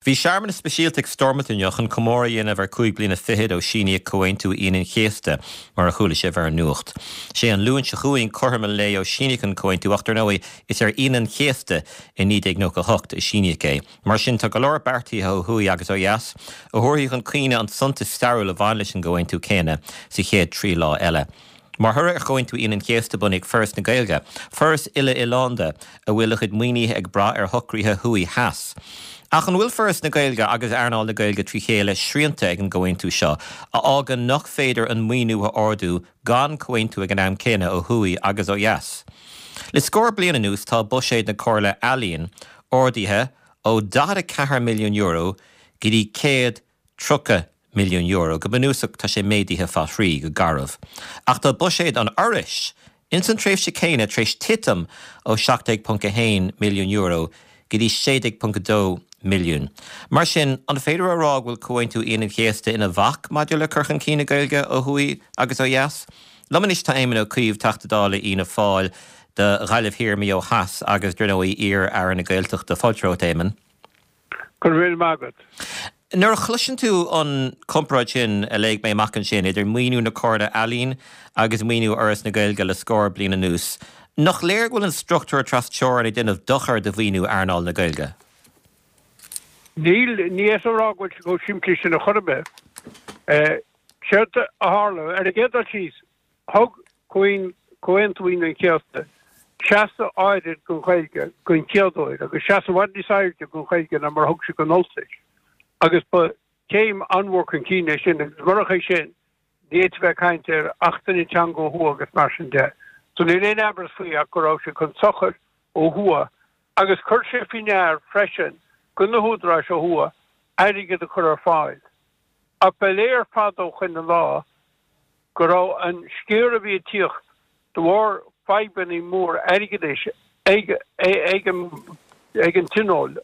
Bhí searmanas speisialta ag Stormont inniu chun comóradh a dhéanamh ar 25 bliana ó síníodh Comhaontú Aoine an Chéasta, mar a chuala sibh ar an nuacht. Sé an Luan seo chugainn cothrom an lae ó síníodh an Comhaontú ach dar ndóigh is ar Aoine an Chéasta i 1998 a síníodh é. Mar sin tá go leor beartaithe ó thuaidh agus ó dheas a thabharfaidh chun cuimhne an suntas stairiúil a bhain leis an gComhaontú céanna sa chéad 3 lá eile. Mar thoradh ar Chomhaontú Aoine an Chéasta bunaíodh Foras na Gaeilge, foras uile-oileánda a bhfuil a chuid maoinithe ag brath ar shocruithe thuaidh theas. Ach an bhfuil Foras na Gaeilge agus earnáil na Gaeilge trí chéile srianta ag an gcomhaontú seo, a fhágann nach féidir an maoiniú a ardú gan comhaontú ag an am céanna ó thuaidh agus ó dheas? Le scór bliain anuas tá buiséad na Comhairle Ealaíon ardaithe ó €44 milliún go dtí 100 €30 milliún. Go bunúsach tá sé méadaithe fá thrí, go garbh. Ach tá buiséad an Fhorais, ins an tréimhse céanna, tar éis titim ó €17.1 milliún go dtí 16.2 milliún. Mar sin, an féidir a rá go bhfuil Comhaontú Aoine an Chéasta ina bhac maidir le cur chun cinn na Gaeilge ó thuaidh agus ó dheas? Liom anois tá Éamon Ó Cuív, Teachta Dála Fhianna Fáil do Ghaillimh Thiar, Maigh Eo Theas agus, dar ndóigh, iar-Aire na Gaeltachta. Fáilte romhat, Éamon. Go raibh míle maith agat. Nuair a chloiseann tú an comparáid sin a léigh mé amach ansin idir maoiniú na Comhairle Ealaíon agus maoiniú Fhoras na Gaeilge le scór bliain anuas, nach léir go bhfuil an struchtúr tras-teorann ag déanamh dochair do mhaoiniú earnáil na Gaeilge? Níl, ní fhéadfá a rá go bhfuil sé chomh simplí sin ar chor ar bith. Séard a tharla, ar an gcéad dul síos, Thug Comhaontú Aoine an Chéasta seasamh áirid don Ghaeilge den chéad uair, agus seasamh i bhfad níos airde don Ghaeilge ná mar a thug sé don Ultais, agus ba chéim an-mhór chun cinn é sin, agus murach é sin, ní fhéadfaí bheith ag caint ar achtanna teanga ó thuaidh agus mar sin de. So níl aon amhras faoi ach go raibh sé chun sochair ó thuaidh, agus chuir sé faoi ndear freisin do na húdaráis ó thuaidh airgead a chur ar fáil. Ach ba léir fada ó shoin i leith go raibh an sciar a bhí ag tíocht de bharr fadhbanna mór airgeadais ag ag an Tionól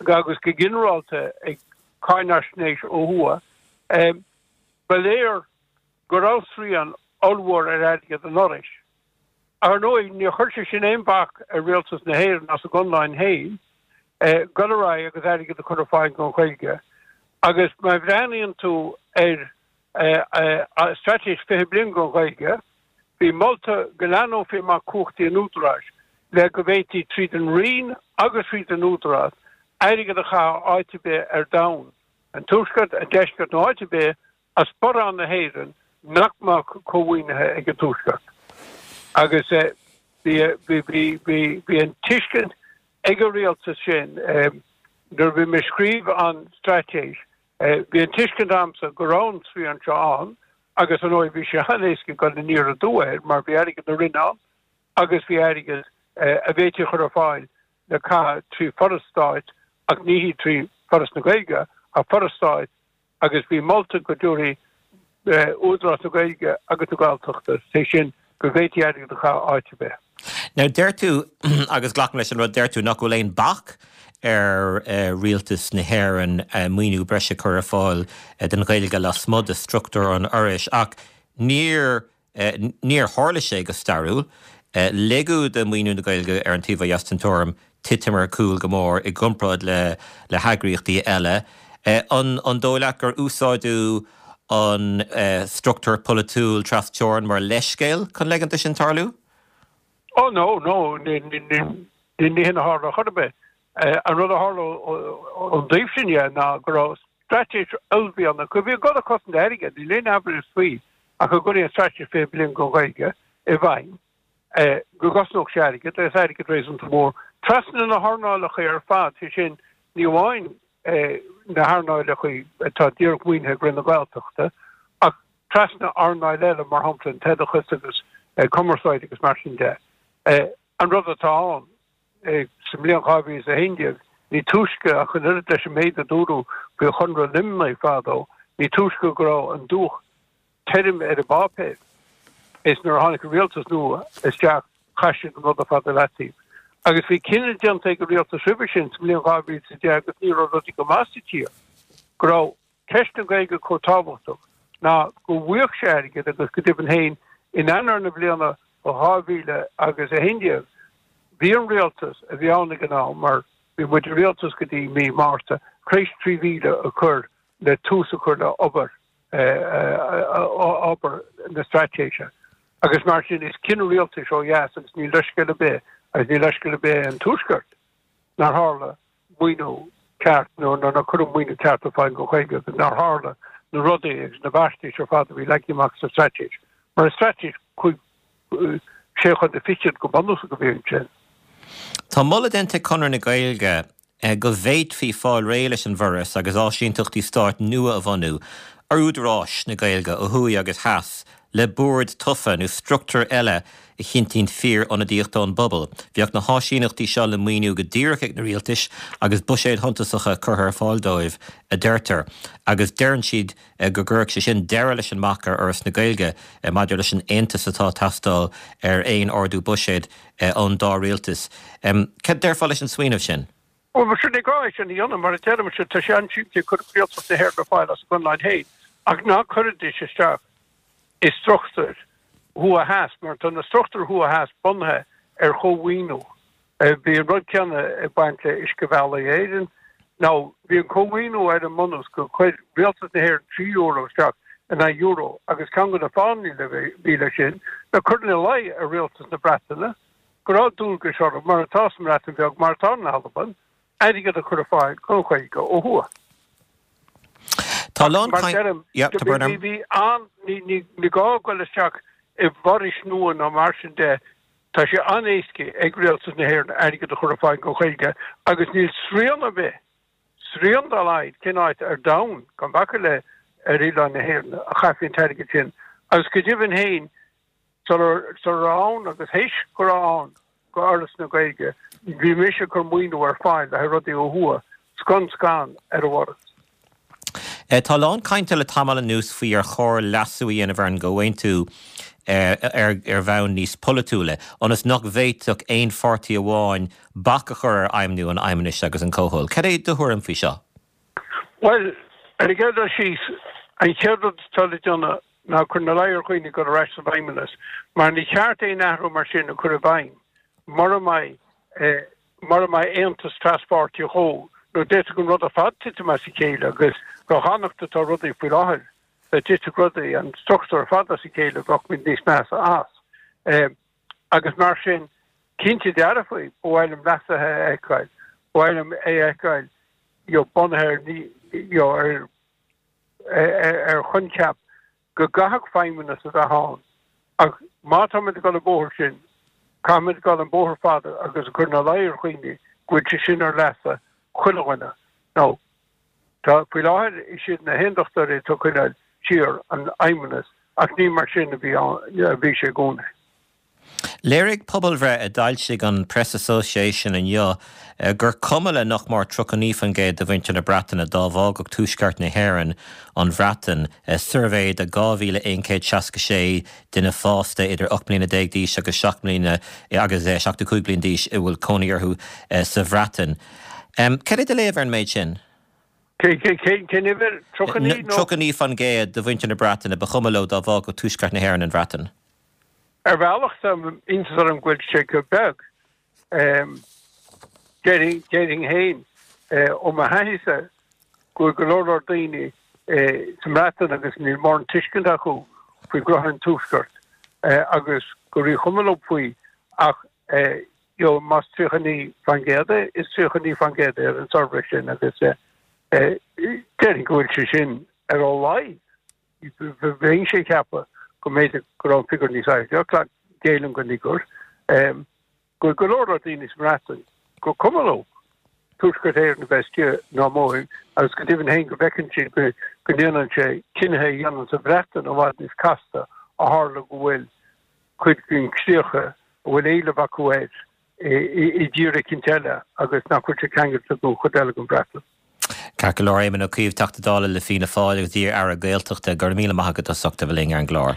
agus go ginearálta ag cáinaisnéis ó thuaidh, ba léir go raibh srian ollmhór ar airgead an Fhorais. Ar ndóigh, níor chuir sé sin aon bhac ar Rialtas na hÉireann as a gconlán féin dul ar aghaidh agus airgead a chur ar fáil don Ghaeilge. Agus má bhreathnaíonn tú ar Straitéis 20 Bliain don Ghaeilge, bhí molta go leathnófaí amach cumhachtaí an Údaráis le go bhféadfaí tríd an Roinn agus tríd an Údarás airgead a chaitheamh áit ar bith ar domhan, an Tuaisceart, an Deisceart nó áit ar bith as sparán na hÉireann nach mbeadh cómhaoinithe ag an Tuaisceart. Agus bhí an tuiscint ag an rialtas sin nuair a bhí mé ag scríobh an straitéis Bhí an tuiscint a'msa go raibh an srian seo ann agus ar ndóigh bhí sé an-éasca dul aniar aduaidh air mar bhí airgead na Roinne ann agus bhí airgead a bhféadfaí a chur ar fáil le caitheamh trí foras stáit ach ní hí trí Foras na Gaeilge ach foras stáit agus bhí molta go dtabharfaí Údarás na Gaeilge agus na Gaeltachta, sé sin go bhféadfaí airgead a chaitheamh áit ar bith. Now deir tú, agus glacaim leis an rud deir tú, nach bhfuil aon bac ar Rialtas na hÉireann maoiniú breise a chur ar fáil don Ghaeilge lasmuigh de struchtúr an Fhorais, ach níor níor tharla sé go stairiúil. Ligeadh do mhaoiniú na Gaeilge ar an taobh ó dheas den teorainn titim ar chúl go mór i gcomparáid le le heagraíochtaí eile. An an dóigh leat gur úsáideadh an struchtúr polaitiúil tras-teorann mar leithscéal chun leigeant do sin tarlú? Oh no, no, ní hin a tharla chor ar bith. An rud a tharla ón dtaobh sin dhe ná go raibh straitéis uaillmhianach, a bhí ag dul ag cosaint airgead, níl aon amhras faoi, ach go gcuirfí an straitéis 20 bliain don Ghaeilge i bhfeidhm, go gcosnódh sé airgead, agus airgead réasúnta mór, trasna na hearnálacha ar fad, sé sin, ní amháin na hearnálacha atá díreach maoinithe ag Roinn na Gaeltachta, ach trasna earnáil eile, mar shampla an t-oideachas agus cumarsáid agus mar sin de. An rud atá ann, sa mbliain 2011, ní túisce, ach an oiread leis an méid a dúradh faoi Chonradh Luimnigh fadó, ní túisce go raibh an dúch tirim ar an bpáipéar is nuair a tháinig an rialtas nua isteach chaith siad an rud ar fad i leataobh. Agus bhí cinneadh déanta ag an rialtas roimhe sin sa mbliain 2010 agus ní raibh rudaí go maith sa tír, go raibh ceist na Gaeilge chomh tábhachtach ná go bhfaigheadh sé airgead agus go deimhin féin in Eanáir na bliana 2011 bhí an rialtas a bhí ann ag an am, mar bhí muid i rialtas go dtí mí Márta. Tar éis 3,000 a chur le tús a chur le obair obair na straitéise agus mar sin is cinneadh rialtais ó dheas agus níl leithscéal ar bith agus níl leithscéal ar bith an Tuaisceart nár tharla maoiniú ceart nó nár cuireadh maoiniú ceart ar fáil don Ghaeilge agus nár tharla na rudaí agus na beartais ar fad a bhí leagtha amach sa straitéis. Mar is straitéis sé chontae fichead go bunúsach a bhí ansin. Tá moladh déanta ag Conradh na Gaeilge go bhféadfaí fáil réidh leis an bhForas agus áisínteachtaí stáit nua a bhunú ar údaráis na Gaeilge ó thuaidh agus theas le bord tofa nó struchtúr eile a chinntíonn fíor-ionadaíocht ón bpobal. Bheadh na háisíneachtaí seo le maoiniú go díreach ag na rialtais agus buiséid shuntasacha curtha ar fáil dóibh, a deirtear. Agus deireann siad go gcuirfeadh sé sin deireadh leis an mbac ar Fhoras na Gaeilge maidir leis an aontas atá ag teastáil ar aon ardú buiséid ón dá rialtas. Cad déarfá leis an smaoineamh sin? Bhuel, sin ní gá é sin a dhéanamh, mar a deirimse, tá sé an-simplí, cuirfidh Rialtas na hÉireann ar fáil as a gconlán féin, ach ná cuiridís isteach i struchtúir thuaidh-theas, mar tá na struchtúir thuaidh-theas bunaithe ar chómhaoiniú. Bhí an rud céanna ag baint le Uiscebhealaí Éireann. Now, bhí an cómhaoiniú ar an mbunús gur chuir Rialtas na hÉireann €3 isteach in aghaidh euro agus ceann de na fáthanna a bhí leis sin ná cur ina luí ar Rialtas na Breataine go raibh dualgais orthu, mar atá sa mBreatain Bheag, mar atá in Albain, airgead a chur ar fáil don Ghaeilge ó thuaidh. Tá a lán Mar deirim, bhí, bhí an, ní, ní, ní gá dul isteach i bhforais nua ná mar sin de, tá sé an-éasca ag Rialtas na hÉireann airgead a chur ar fáil don Ghaeilge agus níl srian ar bith, srian dá laghad, cén áit ar domhan, gan bacadh le ar oileán na hÉireann, a chaithfí an t-airgead sin. Agus go deimhin féin, Sula raibh ann agus théis go raibh ann go Fhoras na Gaeilge, bhí mise ag cur maoiniú ar fáil le haghaidh rudaí ó thuaidh, scun scan ar an bhForas. Tá a lán cainte le tamall anuas faoi ar chóir leasú a dhéanamh ar an gComhaontú ar bhonn níos polaitiúla, ionas nach bhféadfadh aon pháirtí amháin bac a chur ar fheidhmiú an Fheidhmeannais agus an Chomhthoil. Cad é do thuairim faoi seo? Bhuel, ar an gcéad dul síos, an chéad rud atá le déanamh ná cur ina luí ar dhaoine dul ar ais sa bhFeidhmeannas, mar ní ceart aon athrú mar sin a chur i bhfeidhm mura mbeidh, mura mbeidh aontas traspháirtí dhó, nó d'fhéadfadh an rud ar fad titim as a chéile agus chomh hanocht atá rudaí faoi láthair, dá dtitfeadh rudaí, an struchtúr ar fad as a chéile, bheadh muid níos measa as. Agus mar sin, cinnte dearfa, ba mhaith liom leasuithe a fheiceáil, ba mhaith liom é a fheiceáil you know, bunaithe ar, you know, ar, ar choincheap go gcaithfeadh feidhmeannas a bheith ann. Ach má táimid ag dul an bóthar sin, caithfimid dul an bóthar fada agus a chur ina luí ar dhaoine go bhfuil sé sin ar leasa chuile dhuine. Now, tá, faoi láthair, is iad na hAondachtóirí atá ag coinneáil siar an fheidhmeannas ach ní mar sin a bhí ann, a bhí sé i gcónaí. Léirigh pobalbhreith a d'fhoilsigh an Press Association inniu gur cuma le nach mór 39% de mhuintir na Breataine dá bhfágfadh Tuaisceart na hÉireann an Bhreatain, suirbhé de 2,166 duine fásta idir 18 mbliana d'aois agus 7 mbliana agus 75 bliain d'aois a bhfuil cónaí orthu sa Bhreatain. Cad é do léamh ar an méid sin? Cén uimhir? 39 nó? 39% de mhuintir na Breataine ba chuma leo dá bhfágfadh Tuaisceart na hÉireann an Bhreatain. Ar bhealach tá iontas orm go bhfuil sé chomh beag. Déarfainn féin, ó mo thaithíse, go bhfuil go leor leor daoine sa mBreatain agus níl mórán tuiscint acu faoi ghnoithe an Tuaiscirt agus gur ríchuma leo faoi ach you know más 39% é, is 39% é ar an suirbhé sin agus déarfainn go bhfuil sé sin ar a laghad. Bheinnse ag ceapadh go mb'fhéidir go raibh an figiúr níos airde, ach géillim don fhigiúr, go bhfuil go leor leor daoine sa mBreatain gur cuma leo Tuaisceart Éireann a bheith istigh nó amuigh agus go deimhin féin go bhfeiceann siad go ndéanann sé cinnithe a dhéanamh sa Bhreatain i bhfad níos casta ó tharla go bhfuil cuid den chríocha a bhfuil éileamh acu air i dtír eicínt eile agus nach bhfuil sé ceangailte don chuid eile den Bhreatain. Ceart go leor, Éamon Ó Cuív, Teachta Dála le Fianna Fáil agus iar-Aire Gaeltachta, go raibh míle maith agat as ucht a bheith linn ar an gclár.